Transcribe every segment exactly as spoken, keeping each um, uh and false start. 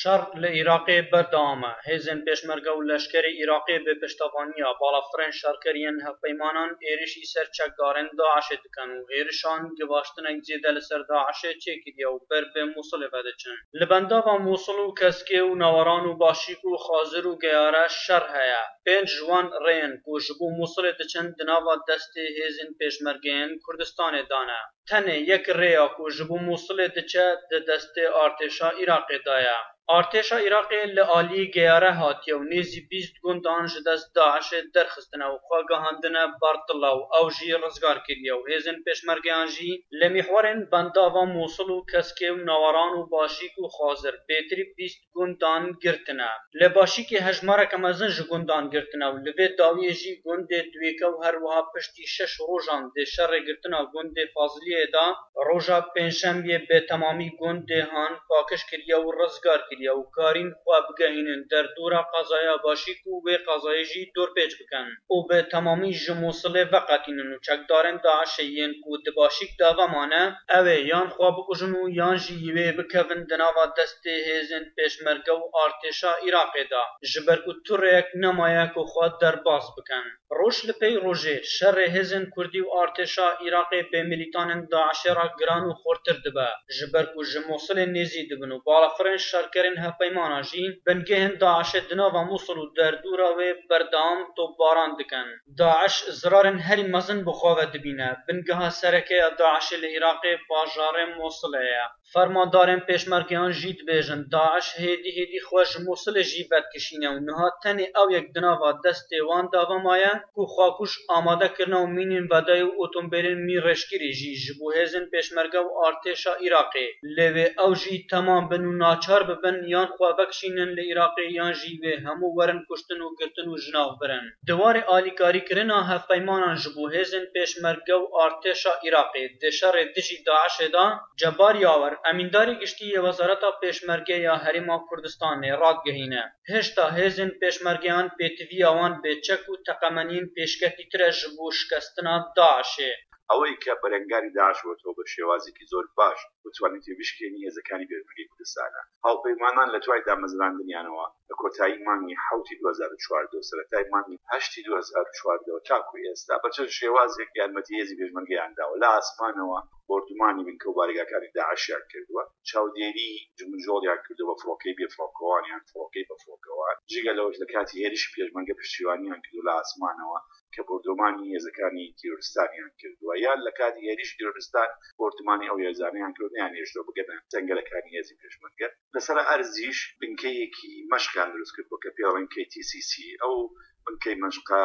Şer li Iraqê berdewam e. Hêzên pêşmerge û leşkerê Iraqê bi piştevaniya balafirên şerker yên hevpeymanan êrişî ser çekdarên DAIŞê dikin û êrişan givaştinek zêde li ser DAIŞê çêkiriye û ber bi Mûsilê ve diçin. Li bendava Mûsil û Keskê û Naweran û Başîk û Xazir û Geyare şer heye. Pênc ji wan rêyên ku ji bo Mûsilê diçin di nava destê hêzên pêşmergeyên Kurdistanê de ne. Tenê yek rêya ku ji bo Mûsilê diçe di destê artêşa Iraqê de ye. Artêşa Iraqê li aliyê Geyare hatiye û nêzî bîst gundan ji dest DAIŞê derxistine û xwe gihandine Bartilla û ew jî rizgar kiriye û hêzên pêşmergeyan jî li mîhwerên bendava Mûsil û Keskê û Naweran û Başîk û Xazir bêtirî bîst gundan girtine. Li Başîkê hejmareke mezin ji gundan girtine û li vê dawiyê jî gundê Duyêke û her wiha piştî şeş rojan dê şerê girtina gundê Faziliyê de roja Pêncşembiyê bê temamî gundê han pakiş kiriye û rizgar kiriye û karîn xwe bigehînin derdora qezaya Başîk û wê qezayê jî dorpêç bikin û bi temamî ji Mûsilê veqetînin û çekdarên DAIŞê yên ku di Başîk de vemane, ew ê yan xwe bikujin û yan jî wê bikevin di nava destê hêzên pêşmerge û artêşa Iraqê de, ji ber ku tu rêyek nemaye ku xwe derbas bikin. Roj li pey rojê şerê hêzên Kurdî û artêşa Iraqê bi milîtanên DAIŞê re giran û xurtir dibe, ji ber ku ji Mûsilê nêzî dibin û balafirên şerkerên hevpeymana jî bingehên DAIŞê di nava Mûsil û derdora wê berdewam topbaran dikin. DAIŞ zirarên herî mezin bi xwe ve dibîne. Bingeha sereke ya DAIŞê li Iraqê bajarê Mûsilê ye. Fermandarên pêşmergeyan jî dibêjin, DAIŞ hêdî hêdî xwe ji Mûsilê jî vedikişîne û niha tenê ew yek di nava destê wan de ve maye ku xwekuj amade kirine û mînên vedayî û otombêlên mîn rêşkirî jî ji bo hêzên pêşmerge û artêşa Iraqê. Lê wê ew jî temam bin û naçar bibin yan xwe vekişînin li Iraqê yan jî wê hemû werin kuştin û girtin û ji nav birin. Di warê alîkarîkirina hevpeymanan ji bo hêzên pêşmerge û artêşa Iraqê di şerê dijî DAIŞê de, Cebar Yawer, emîndarê giştî yê Wezareta Pêşmerge ya Herêma Kurdistanê radigihîne, hêşta hêzên pêşmergeyan pêtiviya wan bê çek û teqemeniyên pêşketîtir e ji bo şikestina DAIŞê. ئەوەی کە بەرەنگاری داعش بۆتەوە بە شێوازێکی زۆر باش بتوانێت بشکێنی هێزەکانی پێشمەرگەی کوردستانە. هاوپەیمانان لە دوای دامەزراندنیانەوە لە کۆتایی مانگی حەوتی دوو هەزار و چواردە و سەرەتای مانگی هەشتی دوو هەزار و چواردە و تاکو ئێستا بە چەند شێوازێک یارمەتی هێزی پێشمەرگەیان داوە. لە ئاسمانەوە بۆردومانی بنکە و بارگاکانی داعشیان کردووە، چاودێری جموجۆڵیان کردووە بە فڕۆکەی بێفڕۆکەوان یان فڕۆکەی بە فڕۆکەوان. جگە لەوەش لە کاتی هێرشی پێشمەرگە پشتیوانیان کردو لە ئاسمانەوە کە بۆردومانی هێزەکانی تیرۆریستانیان کردووە، یان لە کاتی هێرشی تیرۆریستان بۆردومانی ئەو هێزانەیان کردو نەیانهێشتەوە بگەنە جەنگەلەکانی هێزی پێشمەرگە. لەسەر ئەرزیش بنکەیەکی مەشقیان دروست کردووە کە پێی دەڵێن KTCC. ئەو بنکەی مەشقە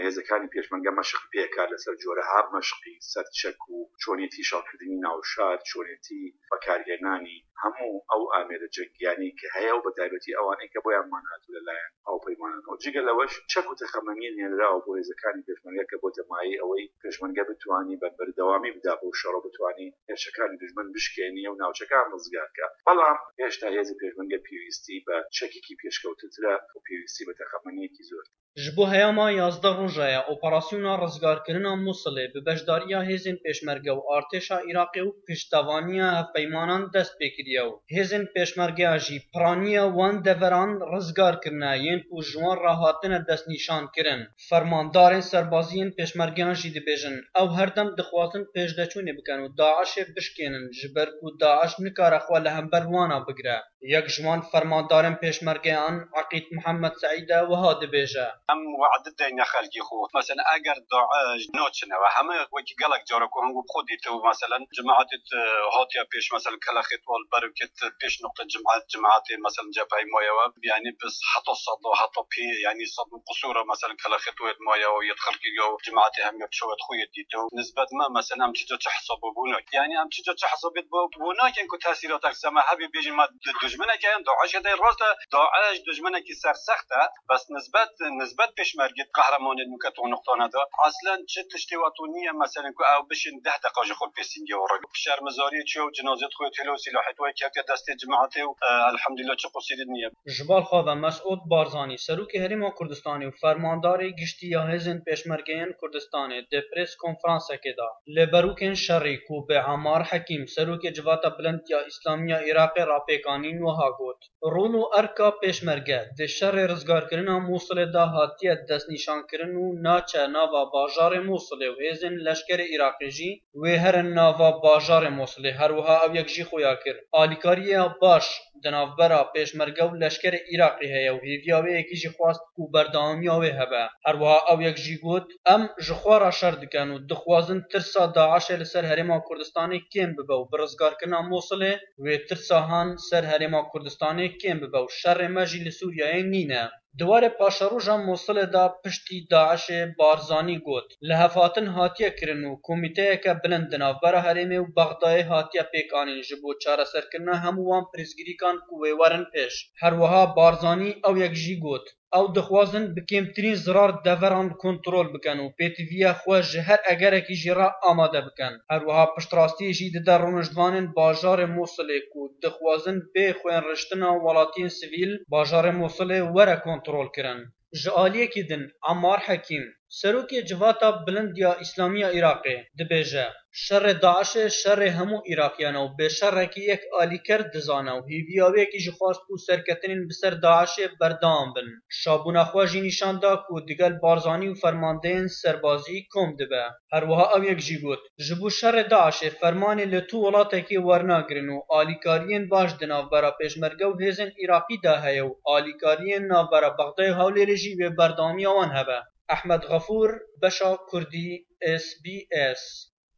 هێزەکانی پێشمەرگە مەشق پێکات لەسەر جۆرەها مەشقی سەرچەک و چۆنێتی شەڕکردنی ناوشار، چۆنێتی بەکارهێنانی هەموو ئەو ئامێرە جەنگیانەی کە هەیە و بە تایبەتی ئەوانەی کە بۆیان مان هاتوو لەلایەن هاوپەیمانانەوە. جگە لەوەش چەک و تەقەمەنیە نێنراوە بۆ هێزەکانی پێشمەرگە کە بۆتە مایەی ئەوەی پێشمەرگە بتوانی بە بەردەوامی بدا بۆ شەڕە، بتوانی هێرشەکانی دوژمن بشکێنی و ناوچەکان ڕزگارکە. بەڵام هێشتا هێزی پێشمەرگە پێویستی بە چەکێکی پێشکەوتنترە و پێویستی بە تەقەمەنیەکی زۆر. Ji bo heyama yazdeh roja ye operasyona rizgarkirina Mûsilê bi beşdariya hêzên pêşmerge û artêşa Iraqê û piştevaniya hevpeymanan dest pê kiriye û hêzên pêşmergeya jî piraniya wan deveran rizgar kirine yên ku ji wan re hatine destnîşankirin. Fermandarên serbazî yên pêşmergeyan jî dibêjin, ew her dem dixwazin pêşdeçûnê bikin û DAIŞê bişkênin, ji ber ku DAIŞ nikare xwe li hember wana bigire. Yek ji wan fermandarên pêşmergeyan Eqîd Mihemed Seîd e, wiha dibêje. Em we'di deyne xelkê xwe. Meselen, eger DAIŞ naçine we heme wekî gelek cara ku hingû bi xwe dîtibû, meselen, cemaetê, e, hatiye pêş, meselen, Kelexê Tol, berivkê pêş noqte cemaet, cemaetê, meselen, cepheyê maye we, yanî bi heta sed û heta pê, yanî sed û qusûra, meselen, Kelexê Tol yê maye we, yê xelkê ya cemaetê hemiya bi çavê xwe yê dîtibû. Nisbet me, meselen, em çica çi hesabê bû nakin. Yanî em çica çi hesabê bû, bû nakin ku tesîratek ser me hebe bêjin me di-, dijmineke yan DAIŞê de rast e, DAIŞ dijminekî sersext e, bes nisbet, nisbet Bed pêşmergê qehremanê nûke to niqtane de. Eslen çi tiştê wa to niye, meselen ku ew bişên deh deqa ji xwe pêsîngê û rek. Şermizariyê çiya û cinazet xwe têlo sîlahê to kevte destê cemaetê û, e, elhamdulillah çi qusîrî niye. Ji bal xwe ve Mesûd Barzanî, Serokê Herêma Kurdistanê û Fermandarê Giştî ya Hêzên Pêşmergeyên Kurdistanê di prês konferansekê de li berûkên şerî ku bi Ammar Hekîm, Serokê Civata Bilind ya Îslamî ya Iraqê re pêk anîn wiha got, Rol û erka pêşmerge di şerê rizgarkirina Mûsilê de hatiye destnîşankirin û naçe nava bajarê Mûsilê û hêzên leşkerê Iraqê jî wê herin nava bajarê Mûsilê. Her wiha ew yek jî xuya kir, alîkariya baş di navbera pêşmerge û leşkerê Iraqê heye û hêviya wê yekî jî xwest ku berdewamiya wê hebe. Her wiha ew yek jî got, Em ji xwe re şer dikin û dixwazin tirsa DAIŞê li ser Herêma Kurdistanê kêm bibe û bi rizgarkirina Mûsilê wê tirsa han ser Herêma Kurdistanê kêm bibe û şerê me jî li Sûriyeyê nîne. Di warê paşeroja Mûsilê de piştî DAIŞê Barzanî got, Lihevhatin hatiye kirin û komîteyeke bilind di navbera herêmê û Bexdayê hatiye pêk anîn ji bo çareserkirina hemû wan pirsgirîkan ku wê werin pêş. Her wiha Barzanî ew yek jî got, Ew dixwazin bi kêmtirîn zirar deveran kontrol bikin û pêtiviya xwe ji her egerekî jî re amade bikin. Her wiha piştrastiyê jî dide rûniştvanên bajarê Mûsilê ku dixwazin bê xwênriştina welatiyên sivîl bajarê Mûsilê were kontrolkirin. Ji aliyekî din, Ammar Hekîm, Serokê Civata Bilind ya Îslamî ya Iraqê, dibêje, Şerê DAIŞê şerê hemû Iraqiyan e û bê şerekî yek alîker dizane û hêviya wê yekî jî xwest ku serketinên bi ser DAIŞê berdewam bin. Şabûna xwe jî nîşan da ku digel Barzanî û fermandeyên serbazî kom dibe. Her wiha ew yek jî got, Ji bo şerê DAIŞê fermanê li tu welatekê wernagirin û alîkariyên baş di navbera pêşmerge û hêzên Iraqî de heye û alîkariyên navbera Bexdayê û Hewlêrê jî wê berdewamiya wan hebe. Ehmed Xefûr, Beşa Kurdî, S B S,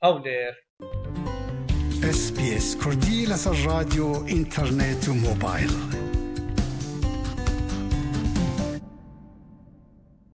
Hewlêr. S B S Kurdî لەسەر ڕادیۆ، ئینتەرنێت و مۆبایل.